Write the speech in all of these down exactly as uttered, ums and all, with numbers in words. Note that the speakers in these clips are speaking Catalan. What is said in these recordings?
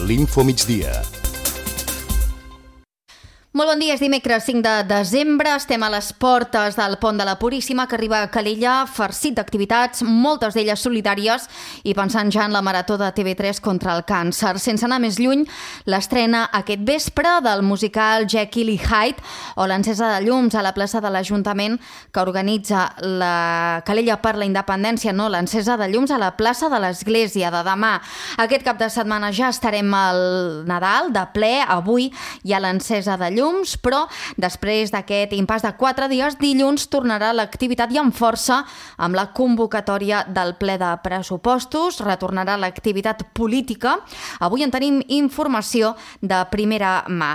l'Info Migdia. Molt bon dia, és dimecres cinc de desembre, estem a les portes del Pont de la Puríssima que arriba a Calella, farcit d'activitats, moltes d'elles solidàries i pensant ja en la marató de T V tres contra el càncer. Sense anar més lluny, l'estrena aquest vespre del musical Jekyll i Hyde o l'encesa de llums a la plaça de l'Ajuntament que organitza la Calella per la Independència, no, l'encesa de llums a la plaça de l'Església de demà. Aquest cap de setmana ja estarem al Nadal, de ple, avui hi ha l'encesa de llums, però després d'aquest impàs de quatre dies, dilluns tornarà l'activitat i amb força amb la convocatòria del ple de pressupostos, retornarà l'activitat política. Avui en tenim informació de primera mà.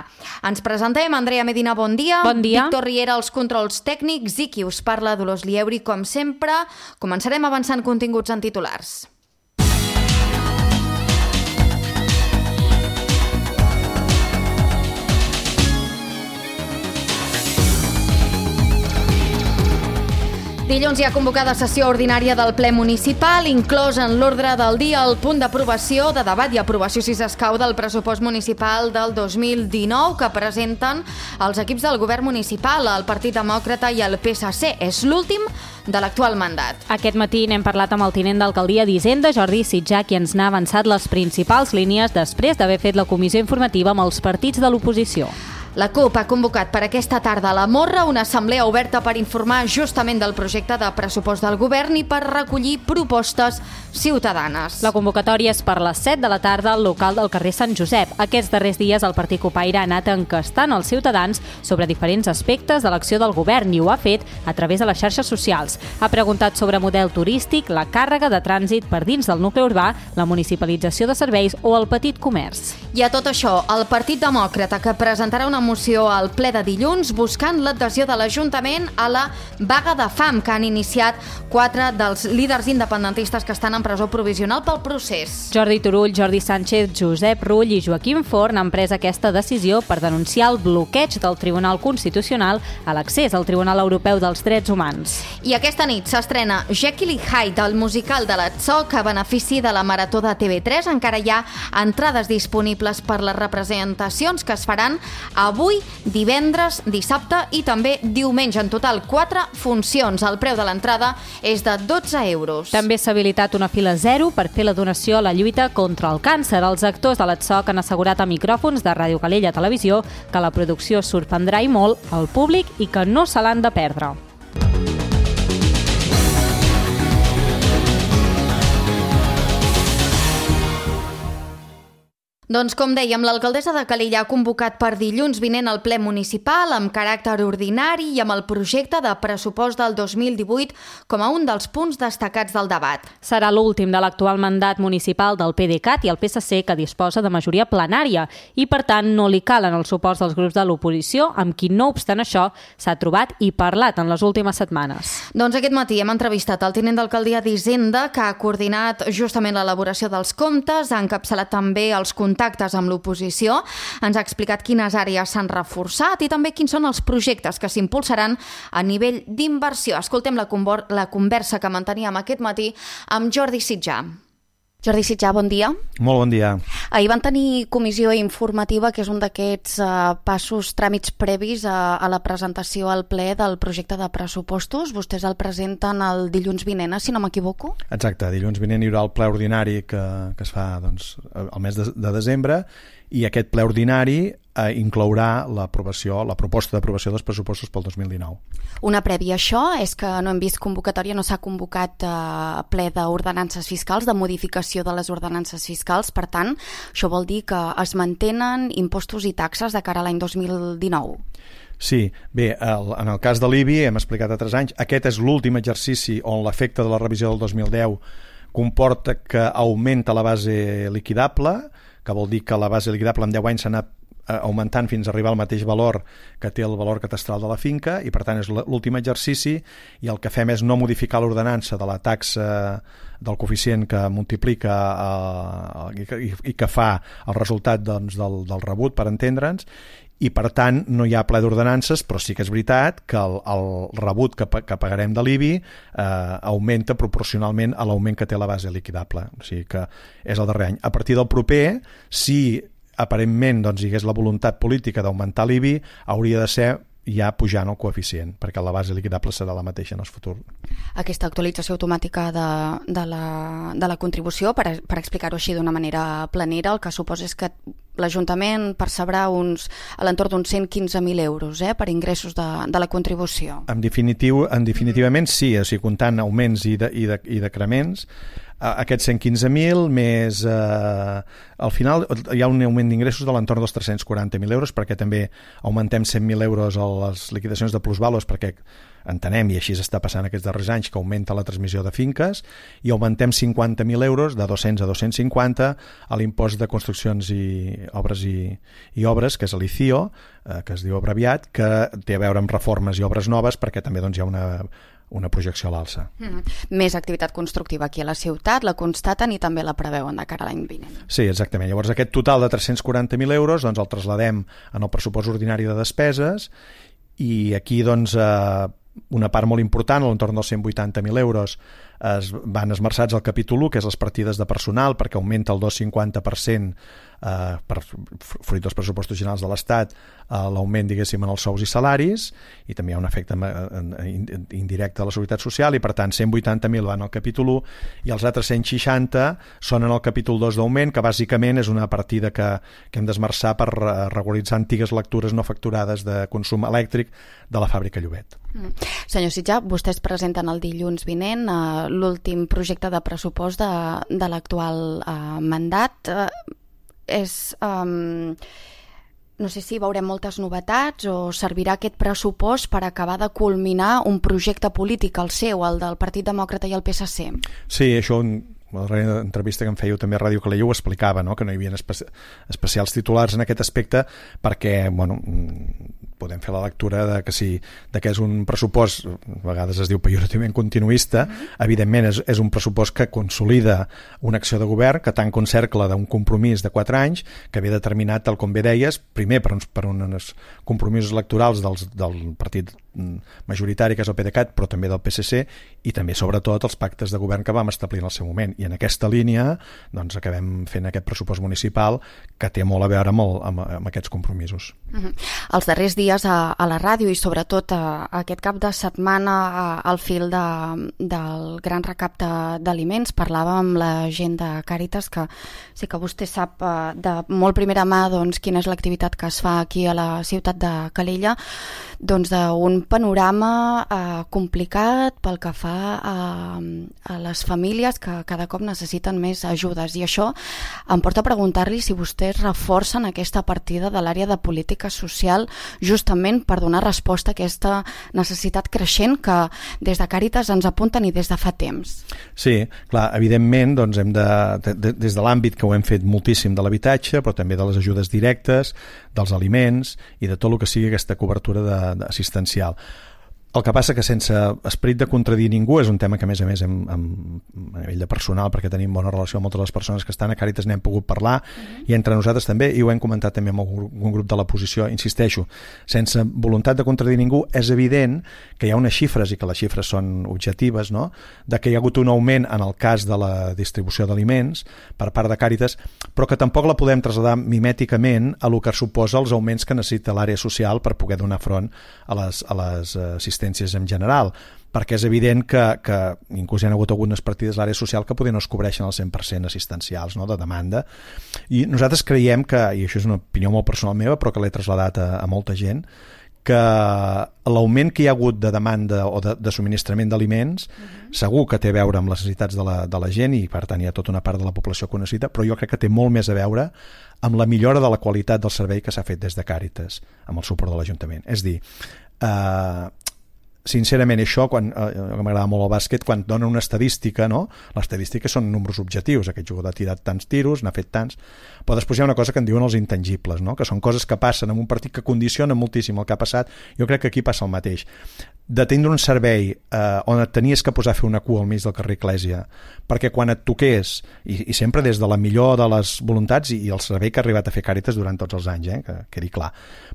Ens presentem, Andrea Medina, bon dia. Bon dia. Víctor Riera, els controls tècnics, i qui us parla, Dolors Lieuri, com sempre. Començarem avançant continguts en titulars. Dilluns hi ha convocada sessió ordinària del ple municipal, inclòs en l'ordre del dia el punt d'aprovació, de debat i aprovació, si s'escau, del pressupost municipal del dos mil dinou que presenten els equips del govern municipal, el Partit Demòcrata i el P S C. És l'últim de l'actual mandat. Aquest matí n'hem parlat amb el tinent d'alcaldia d'Hisenda, Jordi Sitjà, qui ens n'ha avançat les principals línies després d'haver fet la comissió informativa amb els partits de l'oposició. La CUP ha convocat per aquesta tarda a la Morra una assemblea oberta per informar justament del projecte de pressupost del govern i per recollir propostes ciutadanes. La convocatòria és per les set de la tarda al local del carrer Sant Josep. Aquests darrers dies el Partit Copaire ha anat encastant els ciutadans sobre diferents aspectes de l'acció del govern i ho ha fet a través de les xarxes socials. Ha preguntat sobre model turístic, la càrrega de trànsit per dins del nucli urbà, la municipalització de serveis o el petit comerç. I a tot això, el Partit Demòcrata, que presentarà una moció al ple de dilluns buscant l'adhesió de l'Ajuntament a la vaga de fam que han iniciat quatre dels líders independentistes que estan en presó provisional pel procés. Jordi Turull, Jordi Sánchez, Josep Rull i Joaquim Forn han pres aquesta decisió per denunciar el bloqueig del Tribunal Constitucional a l'accés al Tribunal Europeu dels Drets Humans. I aquesta nit s'estrena Jekyll i Hyde, el musical de l'Atzó que a benefici de la marató de T V tres. Encara hi ha entrades disponibles per les representacions que es faran avui, divendres, dissabte i també diumenge. En total, quatre funcions. El preu de l'entrada és de dotze euros. També s'ha habilitat una fila zero per fer la donació a la lluita contra el càncer. Els actors de l'Atzó han assegurat a micròfons de Ràdio Calella Televisió que la producció sorprendrà i molt al públic i que no se l'han de perdre. Doncs com dèiem, l'alcaldessa de Calella ha convocat per dilluns vinent el ple municipal amb caràcter ordinari i amb el projecte de pressupost del dos mil divuit com a un dels punts destacats del debat. Serà l'últim de l'actual mandat municipal del PDeCAT i el P S C, que disposa de majoria plenària i, per tant, no li calen els suports dels grups de l'oposició, amb qui, no obstant això, s'ha trobat i parlat en les últimes setmanes. Doncs aquest matí hem entrevistat el tinent d'alcaldia d'Hisenda, que ha coordinat justament l'elaboració dels comptes, ha encapçalat també els contactes contactes amb l'oposició, ens ha explicat quines àrees s'han reforçat i també quins són els projectes que s'impulsaran a nivell d'inversió. Escoltem la, la conversa que manteníem aquest matí amb Jordi Sitjà. Jordi Sitjà, bon dia. Molt bon dia. Ahir van tenir comissió informativa, que és un d'aquests uh, passos, tràmits previs a, a la presentació al ple del projecte de pressupostos. Vostès el presenten el dilluns vinent, si no m'equivoco? Exacte, dilluns vinent hi haurà el ple ordinari que, que es fa doncs, el mes de, de desembre, i aquest ple ordinari eh, inclourà l'aprovació, la proposta d'aprovació dels pressupostos pel dos mil dinou. Una prèvia a això és que no hem vist convocatòria, no s'ha convocat eh, ple d'ordenances fiscals, de modificació de les ordenances fiscals, per tant, això vol dir que es mantenen impostos i taxes de cara a l'any dos mil dinou. Sí, bé, el, en el cas de l'I B I, hem explicat a tres anys, aquest és l'últim exercici on l'efecte de la revisió del dos mil deu comporta que augmenta la base liquidable, que vol dir que la base liquidable en deu anys s'ha anat augmentant fins a arribar al mateix valor que té el valor catastral de la finca, i per tant és l'últim exercici, i el que fem és no modificar l'ordenança de la taxa del coeficient que multiplica eh, i, i que fa el resultat doncs, del, del rebut, per entendre'ns, i per tant no hi ha ple d'ordenances, però sí que és veritat que el, el rebut que, que pagarem de l'I B I eh, augmenta proporcionalment a l'augment que té la base liquidable, o sigui que és el darrer any. A partir del proper, si aparentment doncs, hi hagués la voluntat política d'augmentar l'I B I, hauria de ser ja pujant el coeficient, perquè la base liquidable serà la mateixa en el futur. Aquesta actualització automàtica de, de, la, de la contribució, per, per explicar-ho així d'una manera planera, el que suposa és que l'Ajuntament percebrà uns, a l'entorn d'uns cent quinze mil euros eh, per ingressos de, de la contribució. En, definitiu, en definitivament sí, o sigui, comptant augments i, de, i, de, i decrements, aquests cent quinze mil més eh, al final hi ha un augment d'ingressos de l'entorn dels tres-cents quaranta mil euros, perquè també augmentem cent mil euros a les liquidacions de plusvalos, perquè entenem, i així està passant aquests darrers anys, que augmenta la transmissió de finques, i augmentem cinquanta mil euros, de dos-cents a dos-cents cinquanta, a l'impost de construccions i obres i, i obres, que és l'I C I O, eh, que es diu abreviat, que té a veure amb reformes i obres noves, perquè també doncs, hi ha una una projecció a l'alça. Mm. Més activitat constructiva aquí a la ciutat, la constaten i també la preveuen de cara a l'any vinent. Sí, exactament. Llavors aquest total de tres-cents quaranta mil euros doncs, el traslladem en el pressupost ordinari de despeses, i aquí doncs, eh, una part molt important, a l'entorn dels cent vuitanta mil euros, es van esmerçats al capítol u, que és les partides de personal, perquè augmenta el dos coma cinquanta per cent eh, per, fruit dels pressupostos generals de l'Estat, eh, l'augment, diguéssim, en els sous i salaris, i també hi ha un efecte indirecte de la Seguretat Social, i per tant cent vuitanta mil van al capítol u, i els altres cent seixanta són en el capítol dos d'augment, que bàsicament és una partida que, que hem d'esmerçar per regularitzar antigues lectures no facturades de consum elèctric de la fàbrica Llobet. Mm. Senyor Sitjà, vostès presenten el dilluns vinent eh, l'últim projecte de pressupost de, de l'actual eh, mandat. Eh, és... Eh, no sé si veurem moltes novetats o servirà aquest pressupost per acabar de culminar un projecte polític, el seu, el del Partit Demòcrata i el P S C. Sí, això... la darrera entrevista que em fèieu també a Ràdio Calella ho explicava, no? Que no hi havia espe especials titulars en aquest aspecte, perquè bueno, podem fer la lectura de que, si, de que és un pressupost, a vegades es diu pejorativament continuista, mm-hmm. evidentment és, és un pressupost que consolida una acció de govern que tanca un cercle d'un compromís de quatre anys que ve determinat, tal com bé deies, primer per uns, per uns compromisos electorals dels, del partit majoritari, que és el PDeCAT, però també del P S C, i també sobretot els pactes de govern que vam establir en el seu moment, i en aquesta línia doncs acabem fent aquest pressupost municipal que té molt a veure amb, el, amb, amb aquests compromisos. Mm-hmm. Els darrers dies a, a la ràdio i sobretot a, a aquest cap de setmana a, al fil de, del gran recapte d'aliments parlàvem amb la gent de Càritas, que sí que vostè sap eh, de molt primera mà doncs, quina és l'activitat que es fa aquí a la ciutat de Calella, doncs d'un panorama eh, complicat pel que fa a, a les famílies que cada cop necessiten més ajudes, i això em porta a preguntar-li si vostès reforcen aquesta partida de l'àrea de política social justament per donar resposta a aquesta necessitat creixent que des de Càritas ens apunten i des de fa temps. Sí, clar, evidentment doncs hem de, de, de des de l'àmbit que ho hem fet moltíssim de l'habitatge, però també de les ajudes directes, dels aliments i de tot el que sigui aquesta cobertura de, de assistencial. El que passa que sense esperit de contradir ningú, és un tema que a més a més hem, hem, a nivell de personal, perquè tenim bona relació amb moltes de les persones que estan a Càritas, n'hem pogut parlar, mm-hmm. i entre nosaltres també, i ho hem comentat també amb un grup de la posició, insisteixo, sense voluntat de contradir ningú, és evident que hi ha unes xifres, i que les xifres són objectives, no? De que hi ha hagut un augment en el cas de la distribució d'aliments per part de Càritas, però que tampoc la podem traslladar mimèticament a lo que suposa els augments que necessita l'àrea social per poder donar front a les, a les assistències en general, perquè és evident que, que inclús hi ha hagut algunes partides de l'àrea social que potser no es cobreixen al cent per cent assistencials, no?, de demanda, i nosaltres creiem que, i això és una opinió molt personal meva, però que l'he traslladat a, a molta gent, que l'augment que hi ha hagut de demanda o de, de subministrament d'aliments uh-huh. segur que té a veure amb les necessitats de la, de la gent, i per tant hi ha tota una part de la població que ho necessita, però jo crec que té molt més a veure amb la millora de la qualitat del servei que s'ha fet des de Càritas amb el suport de l'Ajuntament. És dir, eh, sincerament, això, quan eh, m'agrada molt el bàsquet, quan donen una estadística, no? Les estadístiques són números objectius, aquest jugador ha tirat tants tiros, n'ha fet tants, però després hi ha una cosa que en diuen els intangibles, no? Que són coses que passen en un partit que condicionen moltíssim el que ha passat. Jo crec que aquí passa el mateix. De tindre un servei eh, on et tenies que posar a fer una cua al mig del carrer Eclèsia, perquè quan et toqués, i, i sempre des de la millor de les voluntats i, i el servei que ha arribat a fer Càritas durant tots els anys, eh, que quedi clar,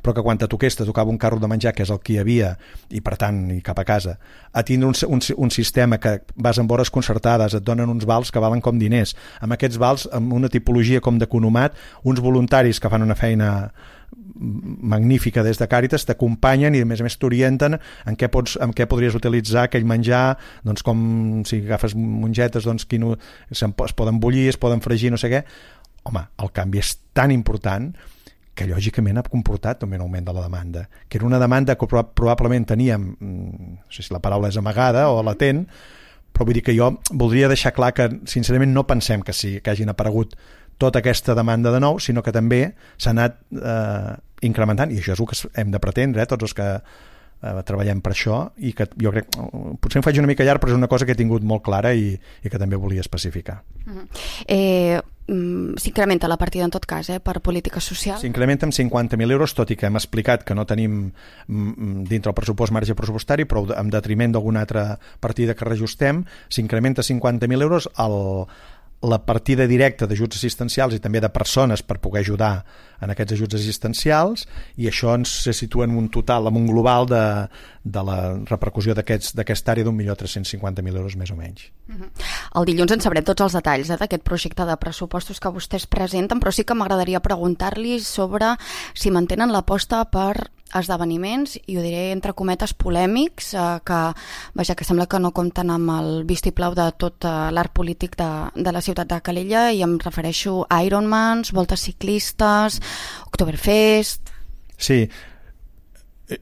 però que quan te toqués te tocava un carro de menjar, que és el que hi havia, i per tant, i cap a casa, a tindre un, un, un sistema que vas amb hores concertades, et donen uns vals que valen com diners, amb aquests vals, amb una tipologia com d'economat, uns voluntaris que fan una feina magnífica des de Càritas t'acompanyen i a més a més t'orienten en què, pots, en què podries utilitzar aquell menjar, doncs com si agafes mongetes, doncs quin, es poden bullir, es poden fregir, no sé què. Home, el canvi és tan important que lògicament ha comportat també un augment de la demanda, que era una demanda que probablement teníem, no sé si la paraula és amagada o latent, però vull dir que jo voldria deixar clar que sincerament no pensem que sí, que hagin aparegut tota aquesta demanda de nou, sinó que també s'ha anat eh, incrementant, i això és el que hem de pretendre, eh, tots els que eh, treballem per això, i que jo crec, potser em faig una mica llarg, però és una cosa que he tingut molt clara i, i que també volia especificar. Uh-huh. Eh, s'incrementa la partida en tot cas, eh, per polítiques socials? S'incrementa amb cinquanta mil euros, tot i que hem explicat que no tenim dintre el pressupost marge pressupostari, però en detriment d'alguna altra partida que reajustem, s'incrementa cinquanta mil euros al la partida directa d'ajuts assistencials i també de persones per poder ajudar en aquests ajuts assistencials, i això ens se situa en un total, en un global de, de la repercussió d'aquesta aquest àrea d'un milió tres-cents cinquanta mil euros més o menys. Uh-huh. El dilluns en sabrem tots els detalls eh, d'aquest projecte de pressupostos que vostès presenten, però sí que m'agradaria preguntar-li sobre si mantenen l'aposta per esdeveniments, i ho diré entre cometes polèmics, eh, que, vaja, que sembla que no compten amb el vistiplau de tot eh, l'art polític de, de la ciutat de Calella, i em refereixo a Ironmans, voltes ciclistes, Oktoberfest... Sí,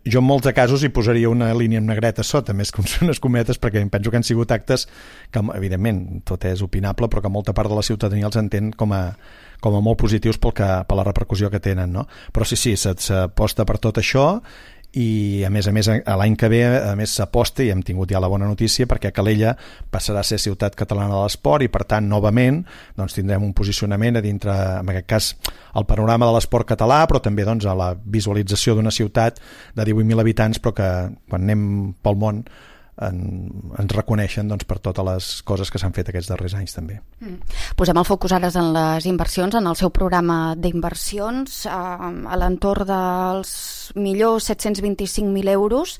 jo en molts de casos hi posaria una línia en negreta sota, més que unes cometes, perquè em penso que han sigut actes que, evidentment, tot és opinable, però que molta part de la ciutadania els entén com a com a molt positius pel que, per la repercussió que tenen, no? Però sí, sí, s'aposta per tot això, i a més a més l'any que ve a més s'aposta, i hem tingut ja la bona notícia, perquè Calella passarà a ser ciutat catalana de l'esport, i per tant novament doncs, tindrem un posicionament a dintre, en aquest cas el panorama de l'esport català, però també doncs, a la visualització d'una ciutat de divuit mil habitants, però que quan anem pel món En, ens reconeixen doncs, per totes les coses que s'han fet aquests darrers anys també. Mm. Posem el focus ara en les inversions, en el seu programa d'inversions, eh, a l'entorn dels millors set-cents vint-i-cinc mil euros.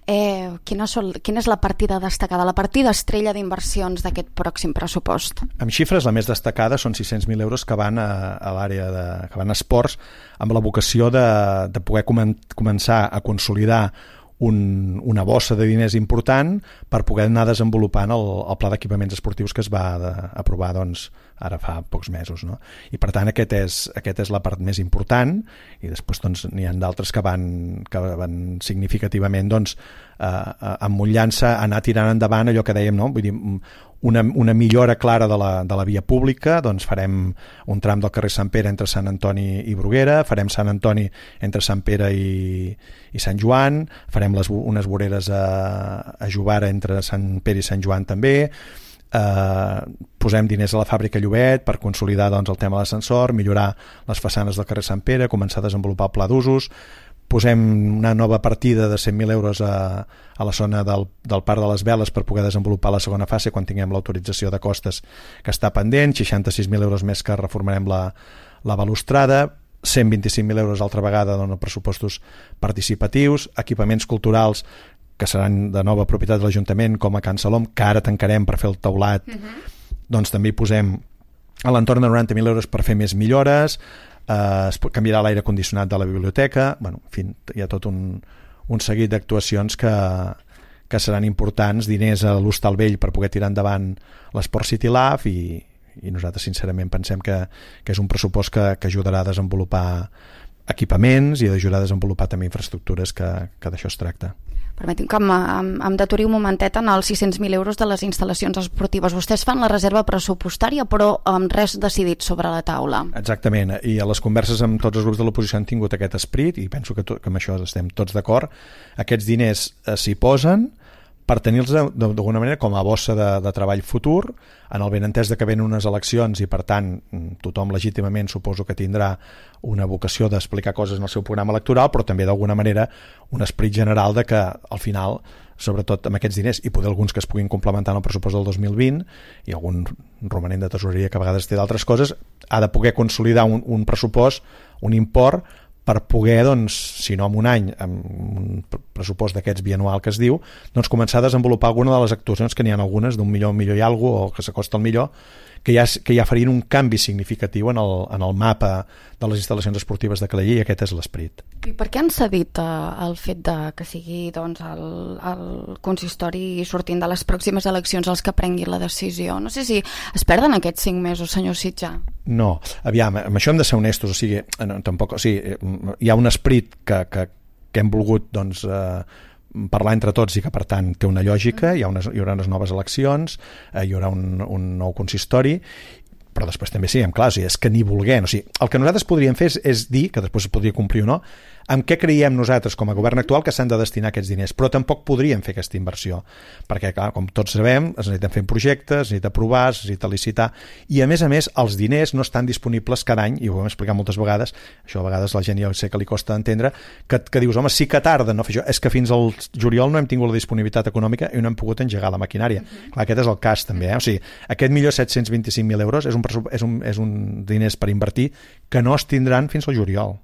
Eh, quina, sol, quina és la partida destacada, la partida estrella d'inversions d'aquest pròxim pressupost? Amb xifres, la més destacada són sis-cents mil euros que van a, a l'àrea de, que van a esports, amb la vocació de, de poder comen, començar a consolidar Un, una bossa de diners important per poder anar desenvolupant el, el pla d'equipaments esportius que es va de, aprovar doncs, ara fa pocs mesos, no? I per tant aquest és, aquest és la part més important, i després doncs, n'hi ha d'altres que van, que van significativament doncs, eh, emmotlant-se, anar tirant endavant allò que dèiem, no? Vull dir, una, una millora clara de la, de la via pública, doncs farem un tram del carrer Sant Pere entre Sant Antoni i Bruguera, farem Sant Antoni entre Sant Pere i, i Sant Joan, farem les, unes voreres a, a Jovara entre Sant Pere i Sant Joan també, eh, posem diners a la fàbrica Llobet per consolidar doncs, el tema de l'ascensor, millorar les façanes del carrer Sant Pere, començar a desenvolupar el pla d'usos, posem una nova partida de cent mil euros a, a la zona del, del Parc de les Veles per poder desenvolupar la segona fase quan tinguem l'autorització de costes que està pendent, seixanta-sis mil euros més que reformarem la, la balustrada, cent vint-i-cinc mil euros altra vegada en pressupostos participatius, equipaments culturals que seran de nova propietat de l'Ajuntament, com a Can Salom, que ara tancarem per fer el teulat, uh-huh. doncs també hi posem a l'entorn de noranta mil euros per fer més millores, eh, es canviarà l'aire condicionat de la biblioteca, bueno, en fi, hi ha tot un, un seguit d'actuacions que, que seran importants, diners a l'Hostal Vell per poder tirar endavant l'Esport City Lab, i, i nosaltres sincerament pensem que, que és un pressupost que, que ajudarà a desenvolupar equipaments i d'ajudar a desenvolupar també infraestructures, que, que d'això es tracta. Permetin que em, em, em deturi un momentet en els sis-cents mil euros de les instal·lacions esportives. Vostès fan la reserva pressupostària, però amb res decidit sobre la taula. Exactament, i a les converses amb tots els grups de l'oposició han tingut aquest esperit, i penso que, to, que amb això estem tots d'acord. Aquests diners eh, s'hi posen per tenir-los d'alguna manera com a bossa de, de treball futur, en el benentès de que venen unes eleccions i per tant tothom legítimament suposo que tindrà una vocació d'explicar coses en el seu programa electoral, però també d'alguna manera un esperit general de que al final, sobretot amb aquests diners i poder alguns que es puguin complementar en el pressupost del dos mil vint i algun romanent de tesoreria que a vegades té d'altres coses, ha de poder consolidar un, un pressupost, un import per poder, doncs, si no en un any, amb un pressupost d'aquests bianual que es diu, doncs començar a desenvolupar alguna de les actuacions, que n'hi ha algunes d'un milió, un milió i alguna cosa, o que s'acosta al millor, que ja, que ja farien un canvi significatiu en el, en el mapa de les instal·lacions esportives de Calella, i aquest és l'esperit. I per què han cedit eh, el fet de que sigui doncs, el, el consistori sortint de les pròximes eleccions els que prenguin la decisió? No sé si es perden aquests cinc mesos, senyor Sitjar. No, aviam, amb això hem de ser honestos, o sigui, no, tampoc, o sigui, hi ha un esperit que, que, que hem volgut, doncs, eh, parlar entre tots i que per tant té una lògica, hi, ha unes, hi haurà unes noves eleccions, eh, hi haurà un, un nou consistori, però després també siguem clars, és que ni volguem, o sigui, el que nosaltres podríem fer és, és dir, que després es podria complir o no, amb què creiem nosaltres com a govern actual que s'han de destinar aquests diners, però tampoc podríem fer aquesta inversió, perquè clar, com tots sabem, es necessiten fer projectes, es necessita aprovar, es necessita licitar, i a més a més els diners no estan disponibles cada any, i ho hem explicat moltes vegades, això a vegades la gent ja sé que li costa entendre, que, que dius, home, sí que tarda no fer això, és que fins al juliol no hem tingut la disponibilitat econòmica i no hem pogut engegar la maquinària. Uh-huh. Clar, aquest és el cas també, eh? O sigui, aquest milió set-cents vint-i-cinc mil euros és un, és, un, és un diners per invertir que no es tindran fins al juliol.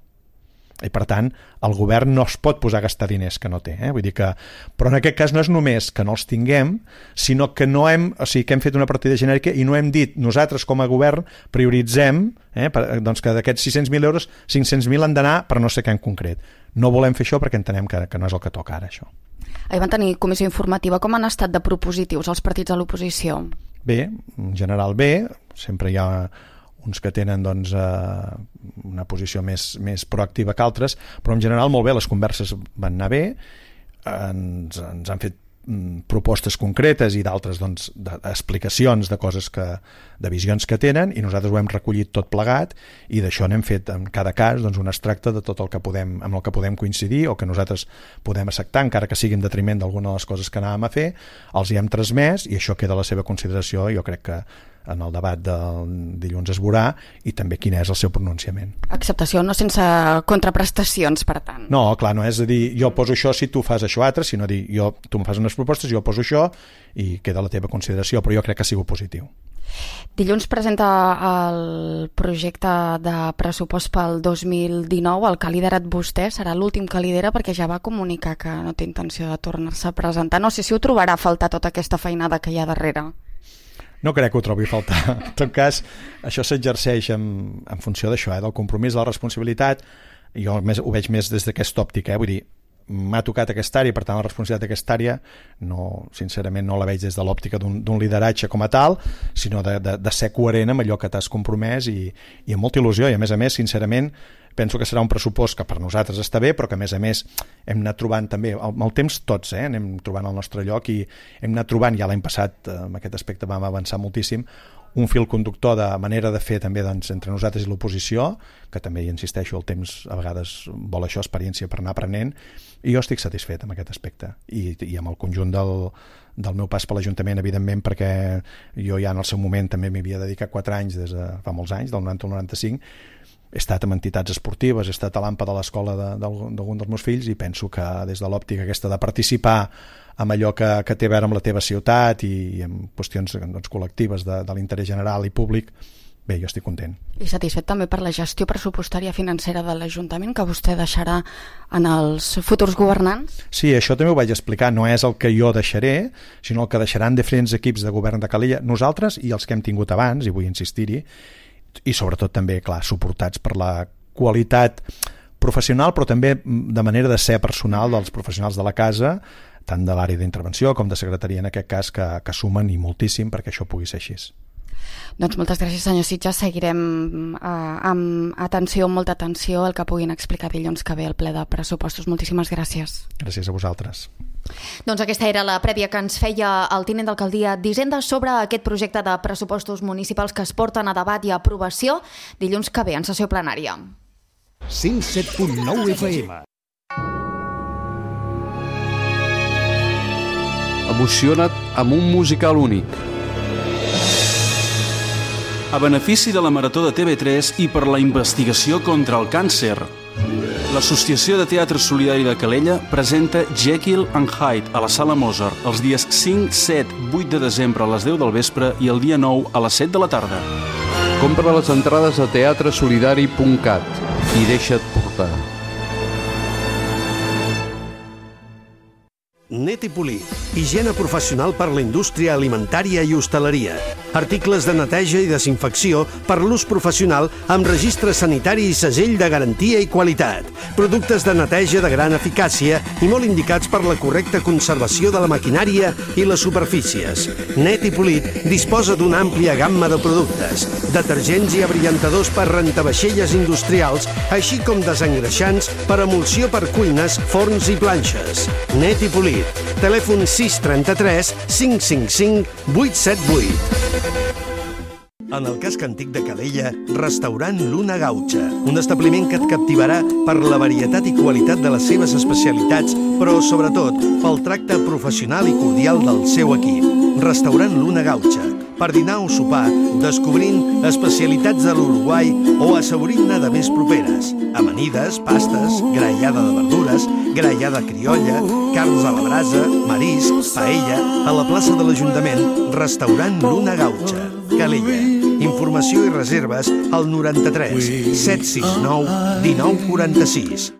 I per tant el govern no es pot posar a gastar diners que no té, eh? Vull dir que, però en aquest cas no és només que no els tinguem, sinó que no hem, o sigui, que hem fet una partida genèrica i no hem dit nosaltres com a govern prioritzem, eh, per, doncs que d'aquests sis-cents mil euros cinc-cents mil han d'anar per no sé què en concret. No volem fer això perquè entenem que, que no és el que toca ara, això. Ahir van tenir comissió informativa. Com han estat de propositius els partits de l'oposició? Bé, en general bé, sempre hi ha uns que tenen doncs, eh, una posició més, més proactiva que altres, però en general molt bé, les converses van anar bé, ens, ens han fet mm, propostes concretes i d'altres doncs, d'explicacions de coses que, de visions que tenen, i nosaltres ho hem recollit tot plegat i d'això n'hem fet en cada cas doncs, un extracte de tot el que podem, amb el que podem coincidir o que nosaltres podem acceptar, encara que sigui en detriment d'alguna de les coses que anàvem a fer, els hi hem transmès i això queda a la seva consideració. Jo crec que en el debat del dilluns es veurà, i també quin és el seu pronunciament. Acceptació no sense contraprestacions, per tant. No, clar, no és a dir jo poso això si tu fas això altre, sinó dir jo, tu em fas unes propostes, jo poso això i queda la teva consideració, però jo crec que ha sigut positiu. Dilluns presenta el projecte de pressupost pel dos mil dinou, el que ha liderat vostè, serà l'últim que lidera perquè ja va comunicar que no té intenció de tornar-se a presentar. No sé si ho trobarà a faltar tota aquesta feinada que hi ha darrere. No crec que ho trobi a faltar. En tot cas, això s'exerceix en, en funció d'això, eh, del compromís, de la responsabilitat. Jo més, ho veig més des d'aquesta òptica, eh? Vull dir, m'ha tocat aquesta àrea, per tant la responsabilitat d'aquesta àrea no, sincerament no la veig des de l'òptica d'un lideratge com a tal, sinó de, de, de ser coherent amb allò que t'has compromès i, i amb molta il·lusió, i a més a més, sincerament, penso que serà un pressupost que per nosaltres està bé, però que a més a més hem anat trobant també, amb el temps tots, eh, anem trobant el nostre lloc i hem anat trobant, ja l'any passat en aquest aspecte vam avançar moltíssim, un fil conductor de manera de fer també doncs, entre nosaltres i l'oposició, que també hi insisteixo, el temps a vegades vol això, experiència per anar aprenent, i jo estic satisfet amb aquest aspecte i, i amb el conjunt del, del meu pas per l'Ajuntament, evidentment, perquè jo ja en el seu moment també m'hi havia dedicat quatre anys des de fa molts anys, del noranta al noranta-cinc, he estat amb entitats esportives, he estat a l'AMPA de l'escola d'algun dels meus fills i penso que des de l'òptica aquesta de participar amb allò que, que té a veure amb la teva ciutat i, i amb qüestions doncs, col·lectives de, de l'interès general i públic, bé, jo estic content. I satisfet també per la gestió pressupostària financera de l'Ajuntament que vostè deixarà en els futurs governants? Sí, això també ho vaig explicar, no és el que jo deixaré, sinó el que deixaran diferents equips de govern de Calella, nosaltres i els que hem tingut abans, i vull insistir-hi, i sobretot també, clar, suportats per la qualitat professional, però també de manera de ser personal dels professionals de la casa, tant de l'àrea d'intervenció com de secretaria en aquest cas, que, que sumen i moltíssim perquè això pugui ser així. Doncs moltes gràcies, senyor Sitges. Seguirem eh, amb atenció, amb molta atenció, el que puguin explicar dilluns que ve al ple de pressupostos. Moltíssimes gràcies. Gràcies a vosaltres. Doncs aquesta era la prèvia que ens feia el tinent d'alcaldia d'Hisenda sobre aquest projecte de pressupostos municipals que es porten a debat i a aprovació dilluns que ve en sessió plenària. cent set punt nou F M. Emociona't amb un musical únic. A benefici de la Marató de T V tres i per la investigació contra el càncer, l'Associació de Teatre Solidari de Calella presenta Jekyll and Hyde a la Sala Mozart els dies cinc, set, vuit de desembre a les deu del vespre i el dia nou a les set de la tarda. Compra les entrades a teatre solidari punt cat i deixa't portar. Net i Polit, higiene professional per la indústria alimentària i hostaleria. Articles de neteja i desinfecció per l'ús professional amb registre sanitari i segell de garantia i qualitat. Productes de neteja de gran eficàcia i molt indicats per la correcta conservació de la maquinària i les superfícies. Net i Polit disposa d'una àmplia gamma de productes, detergents i abrillantadors per rentavaixelles industrials, així com desengreixants per emulsió per cuines, forns i planxes. Net i Polit. Telèfon sis trenta-tres cinc cinc cinc vuit set vuit. En el casc antic de Calella, restaurant Luna Gaucha, un establiment que et captivarà per la varietat i qualitat de les seves especialitats, però sobretot pel tracte professional i cordial del seu equip. Restaurant Luna Gaucha, per dinar o sopar, descobrint especialitats de l'Uruguai o assaborint-ne de més properes. Amanides, pastes, graellada de verdures, graellada criolla, carns a la brasa, marisc, paella, a la plaça de l'Ajuntament, restaurant Luna Gaucha, Calella. Informació i reserves al noranta-tres set sis nou dinou quaranta-sis.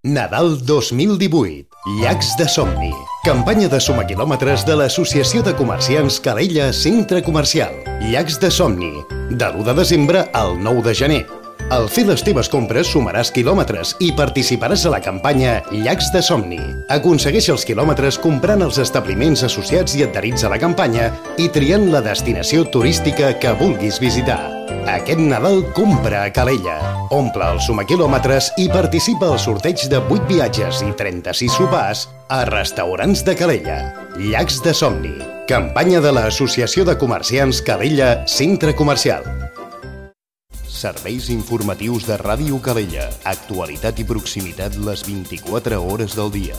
Nadal dos mil divuit. Llacs de somni. Campanya de suma quilòmetres de l'Associació de Comerciants Calella Centre Comercial. Llacs de somni. De l'u de desembre al nou de gener. Al fer les teves compres sumaràs quilòmetres i participaràs a la campanya Llacs de somni. Aconsegueix els quilòmetres comprant els establiments associats i adherits a la campanya i triant la destinació turística que vulguis visitar. Aquest Nadal compra a Calella. Omple els sumaquilòmetres i participa al sorteig de vuit viatges i trenta-sis sopars a restaurants de Calella. Llacs de somni. Campanya de l'Associació de Comerciants Calella Centre Comercial. Serveis informatius de Ràdio Calella. Actualitat i proximitat les vint-i-quatre hores del dia.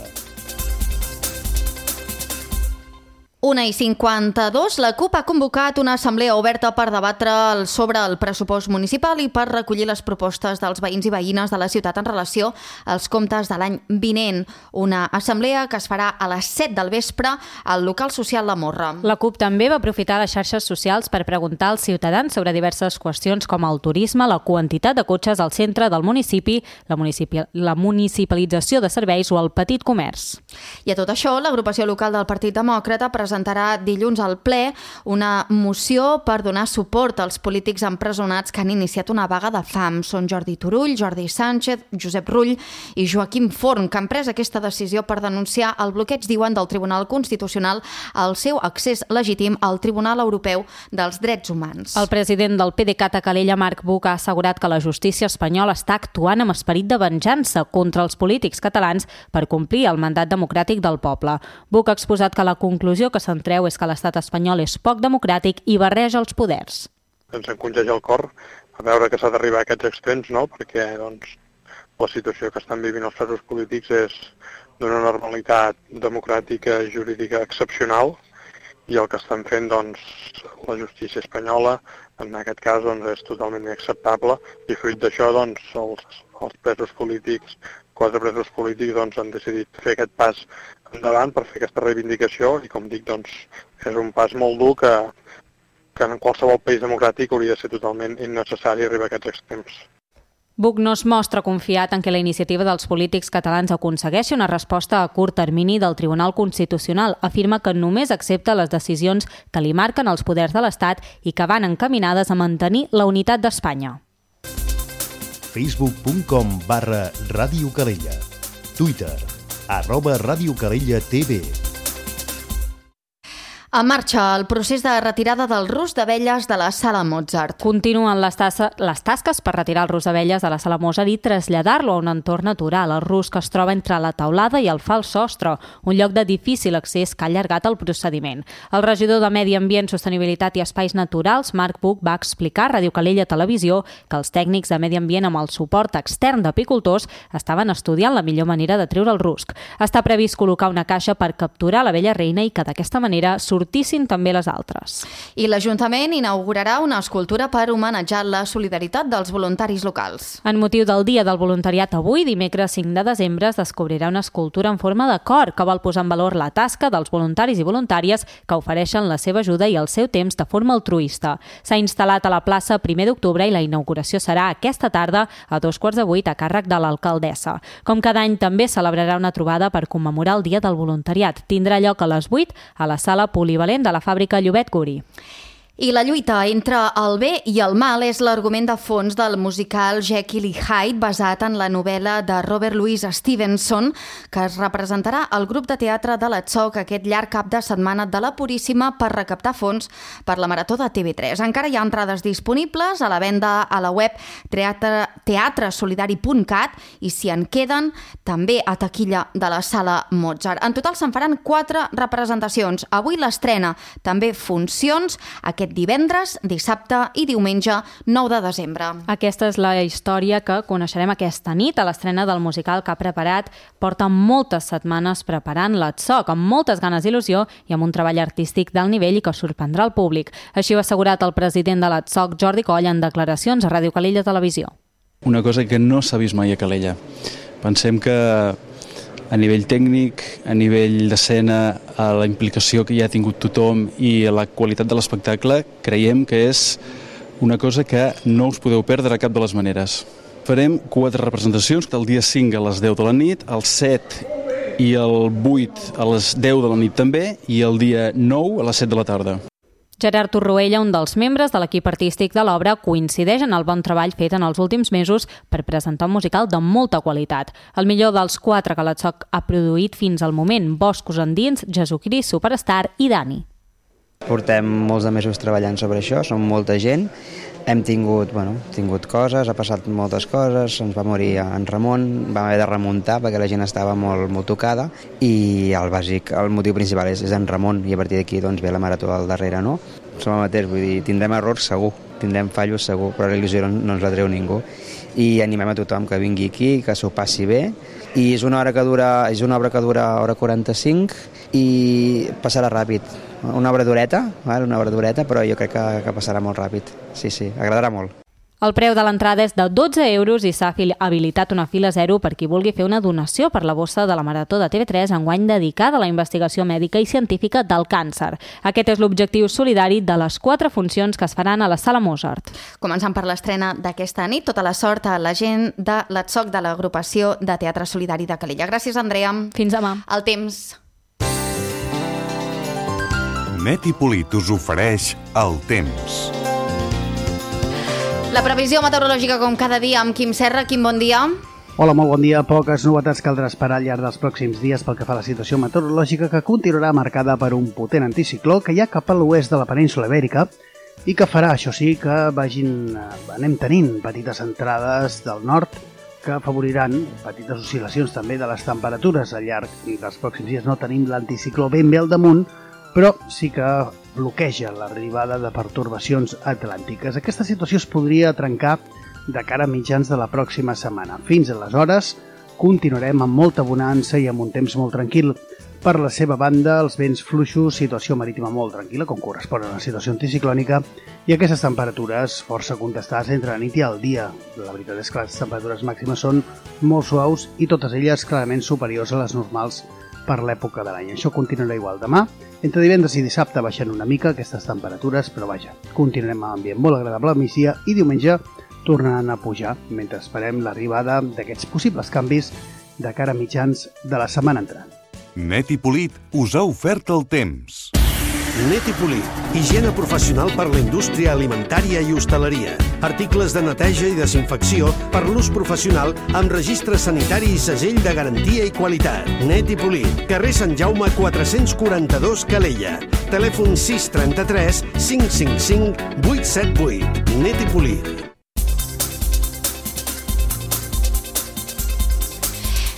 una i cinquanta-dos, la CUP ha convocat una assemblea oberta per debatre sobre el pressupost municipal i per recollir les propostes dels veïns i veïnes de la ciutat en relació als comptes de l'any vinent. Una assemblea que es farà a les set del vespre al local social La Morra. La CUP també va aprofitar les xarxes socials per preguntar als ciutadans sobre diverses qüestions com el turisme, la quantitat de cotxes al centre del municipi, la, municipi la municipalització de serveis o el petit comerç. I a tot això, l'agrupació local del Partit Demòcrata presentarà dilluns al ple una moció per donar suport als polítics empresonats que han iniciat una vaga de fam. Són Jordi Turull, Jordi Sánchez, Josep Rull i Joaquim Forn, que han pres aquesta decisió per denunciar el bloqueig, diuen, del Tribunal Constitucional al seu accés legítim al Tribunal Europeu dels Drets Humans. El president del PDeCAT a Calella, Marc Buch, ha assegurat que la justícia espanyola està actuant amb esperit de venjança contra els polítics catalans per complir el mandat democràtic del poble. Buch ha exposat que la conclusió que se'n treu és que l'estat espanyol és poc democràtic i barreja els poders. Ens encongeja el cor a veure que s'ha d'arribar a aquests extrems, no? Perquè doncs, la situació que estan vivint els presos polítics és d'una normalitat democràtica i jurídica excepcional i el que estan fent doncs, la justícia espanyola en aquest cas doncs, és totalment inacceptable i fruit d'això doncs, els, els presos polítics, quatre presos polítics doncs, han decidit fer aquest pas endavant per fer aquesta reivindicació i com dic doncs, és un pas molt dur que, que en qualsevol país democràtic hauria de ser totalment innecessari arribar a aquests extrems. Buch no es mostra confiat en que la iniciativa dels polítics catalans aconsegueixi una resposta a curt termini del Tribunal Constitucional. Afirma que només accepta les decisions que li marquen els poders de l'Estat i que van encaminades a mantenir la unitat d'Espanya. facebook punt com barra Ràdio Calella. Twitter, arroba Ràdio Calella T V. En marxa el procés de retirada del rusc d'abelles de la Sala Mozart. Continuen les, tassa, les tasques per retirar el rusc d'abelles de la Sala Mozart i traslladar-lo a un entorn natural. El rusc que es troba entre la teulada i el fals sostre, un lloc de difícil accés que ha allargat el procediment. El regidor de Medi Ambient, Sostenibilitat i Espais Naturals, Marc Puig, va explicar a Ràdio Calella Televisió que els tècnics de Medi Ambient, amb el suport extern d'apicultors, estaven estudiant la millor manera de treure el rusc. Està previst col·locar una caixa per capturar l'abella reina i que d'aquesta manera sortissin també les altres. I l'Ajuntament inaugurarà una escultura per homenatjar la solidaritat dels voluntaris locals. En motiu del Dia del Voluntariat avui, dimecres cinc de desembre, es descobrirà una escultura en forma de cor que vol posar en valor la tasca dels voluntaris i voluntàries que ofereixen la seva ajuda i el seu temps de forma altruista. S'ha instal·lat a la plaça primer d'octubre i la inauguració serà aquesta tarda a dos quarts de vuit a càrrec de l'alcaldessa. Com cada any, també celebrarà una trobada per commemorar el Dia del Voluntariat. Tindrà lloc a les vuit a la sala polivalent de la fàbrica Llobet Guri. I la lluita entre el bé i el mal és l'argument de fons del musical Jekyll i Hyde, basat en la novel·la de Robert Louis Stevenson, que es representarà al grup de teatre de l'Atzok aquest llarg cap de setmana de la Puríssima per recaptar fons per la Marató de T V tres. Encara hi ha entrades disponibles a la venda a la web teatre solidari punt cat i si en queden també a taquilla de la Sala Mozart. En total se'n faran quatre representacions. Avui l'estrena, també funcions, aquest divendres, dissabte i diumenge nou de desembre. Aquesta és la història que coneixerem aquesta nit a l'estrena del musical que ha preparat. Porta moltes setmanes preparant l'Atzok, amb moltes ganes d'il·lusió i amb un treball artístic d'alt nivell i que sorprendrà el públic. Així ho ha assegurat el president de l'Atzok, Jordi Coll, en declaracions a Ràdio Calella Televisió. Una cosa que no s'ha vist mai a Calella. Pensem que a nivell tècnic, a nivell d'escena, a la implicació que hi ha tingut tothom i a la qualitat de l'espectacle, creiem que és una cosa que no us podeu perdre a cap de les maneres. Farem quatre representacions, el dia cinc a les deu de la nit, el set i el vuit a les deu de la nit també, i el dia nou a les set de la tarda. Gerard Torroella, un dels membres de l'equip artístic de l'obra, coincideix en el bon treball fet en els últims mesos per presentar un musical de molta qualitat. El millor dels quatre que l'Atzok ha produït fins al moment: Boscos endins, Jesucrist Superstar i Dani. Portem molts de mesos treballant sobre això, som molta gent. Hem tingut, bueno, tingut coses, ha passat moltes coses, ens va morir en Ramon, vam haver de remuntar perquè la gent estava molt, molt tocada i el bàsic, el motiu principal és, és en Ramon i a partir d'aquí doncs, ve la marató al darrere, no? Som el mateix, vull dir, tindrem errors segur, tindrem fallos segur, però la il·lusió no, no ens la treu ningú i animem a tothom que vingui aquí, que s'ho passi bé i és una hora que dura, és una obra que dura hora quaranta-cinc i passarà ràpid. Una obra dureta, una obra dureta, però jo crec que, que passarà molt ràpid. Sí, sí, agradarà molt. El preu de l'entrada és de dotze euros i s'ha habilitat una fila zero per qui vulgui fer una donació per la bossa de la Marató de T V tres enguany dedicada a la investigació mèdica i científica del càncer. Aquest és l'objectiu solidari de les quatre funcions que es faran a la Sala Mozart. Començant per l'estrena d'aquesta nit, tota la sort a la gent de l'Atzok de l'Agrupació de Teatre Solidari de Calella. Gràcies, Andrea. Fins demà. El temps. Net i Polit us ofereix el temps. La previsió meteorològica com cada dia amb Quim Serra. Quim, bon dia. Hola, molt bon dia. Poques novetats caldrà esperar al llarg dels pròxims dies pel que fa a la situació meteorològica, que continuarà marcada per un potent anticicló que hi ha cap a l'oest de la península Ibèrica i que farà, això sí, que vagin, anem tenint petites entrades del nord que afavoriran petites oscil·lacions també de les temperatures al llarg dels pròxims dies. No tenim l'anticicló ben bé al damunt, però sí que bloqueja l'arribada de pertorbacions atlàntiques. Aquesta situació es podria trencar de cara a mitjans de la pròxima setmana. Fins aleshores continuarem amb molta bonança i amb un temps molt tranquil. Per la seva banda, els vents fluixos, situació marítima molt tranquil·la, com correspon a una situació anticiclònica, i aquestes temperatures força contestades entre la nit i el dia. La veritat és que les temperatures màximes són molt suaus i totes elles clarament superiors a les normals per l'època de l'any. Això continuarà igual demà. Entre divendres i dissabte baixen una mica aquestes temperatures, però vaja, continuarem amb ambient molt agradable a migdia i diumenge tornaran a pujar, mentre esperem l'arribada d'aquests possibles canvis de cara a mitjans de la setmana entrant. Net i Polit us ha ofert el temps. Net i Polit. Higiene professional per la indústria alimentària i hostaleria. Articles de neteja i desinfecció per l'ús professional amb registre sanitari i segell de garantia i qualitat. Net i Polit. Carrer Sant Jaume quatre-cents quaranta-dos, Calella. Telèfon sis trenta-tres cinc cinc cinc vuit set vuit. Net i Polit.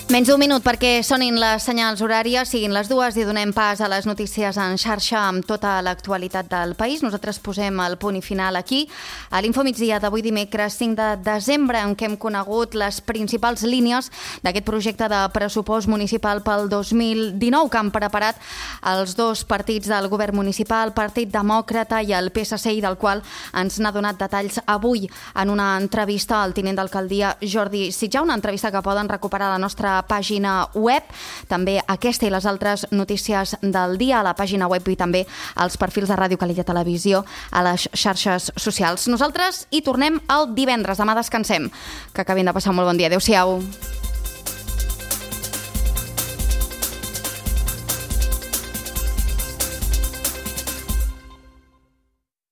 Menys d'un minut perquè sonin les senyals horàries, siguin les dues i donem pas a les notícies en xarxa amb tota l'actualitat del país. Nosaltres posem el punt i final aquí, a l'Infomigdia d'avui dimecres cinc de desembre, en què hem conegut les principals línies d'aquest projecte de pressupost municipal pel dos mil dinou que han preparat els dos partits del govern municipal, Partit Demòcrata i el P S C, i del qual ens n'ha donat detalls avui en una entrevista al tinent d'alcaldia Jordi Sitjà, una entrevista que poden recuperar a la nostra pàgina web, també aquesta i les altres notícies del dia a la pàgina web i també als perfils de Ràdio Calella Televisió a les xarxes socials. Nosaltres hi tornem el divendres, demà descansem. Que acabin de passar un molt bon dia. Adéu-siau.